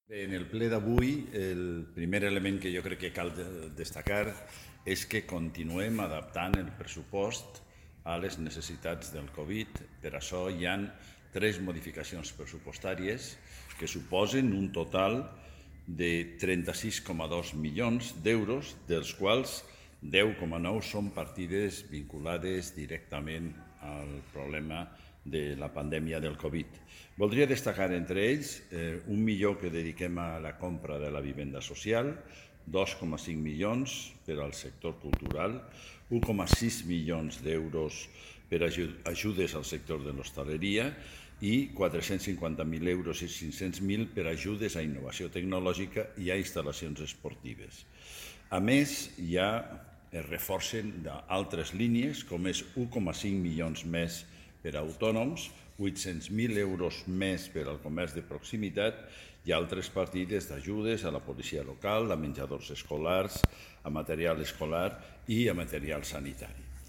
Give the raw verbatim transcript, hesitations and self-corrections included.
Bé, en el ple d'avui, el primer element que jo crec que cal destacar és que continuem adaptant el pressupost a les necessitats del Covid. Per això hi ha tres modificacions pressupostàries que suposen un total de trenta-sis coma dos milions d'euros, dels quals deu coma nou són partides vinculades directament al problema de la pandèmia del Covid. Voldria destacar entre ells eh, un milió que dediquem a la compra de la vivenda social, dos coma cinc milions per al sector cultural, un coma sis milions d'euros per a ajudes al sector de l'hostaleria i quatre-cents cinquanta mil euros i cinc-cents mil per a ajudes a innovació tecnològica i a instal·lacions esportives. A més, ja es reforcen d'altres línies, com és un coma cinc milions més per a autònoms, vuit-cents mil euros més per al comerç de proximitat i altres partides d'ajudes a la policia local, a menjadors escolars, a material escolar i a material sanitari.